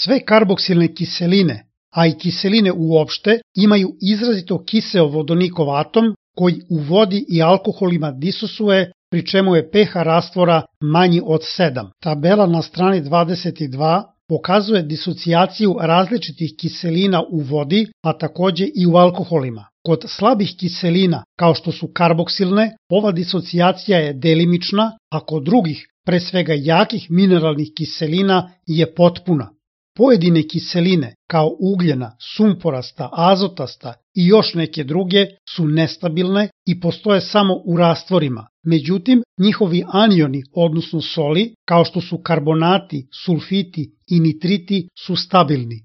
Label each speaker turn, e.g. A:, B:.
A: Sve karboksilne kiseline, a i kiseline uopšte, imaju izrazito kiseo vodonikov atom koji u vodi i alkoholima disosuje, pri čemu je pH rastvora manji od 7. Tabela na strani 22 pokazuje disocijaciju različitih kiselina u vodi, a takođe i u alkoholima. Kod slabih kiselina, kao što su karboksilne, ova disocijacija je delimična, a kod drugih, pre svega jakih mineralnih kiselina, je potpuna. Pojedine kiseline, kao ugljena, sumporasta, azotasta i još neke druge, su nestabilne i postoje samo u rastvorima. Međutim, njihovi anioni, odnosno soli, kao što su karbonati, sulfiti i nitriti, su stabilni.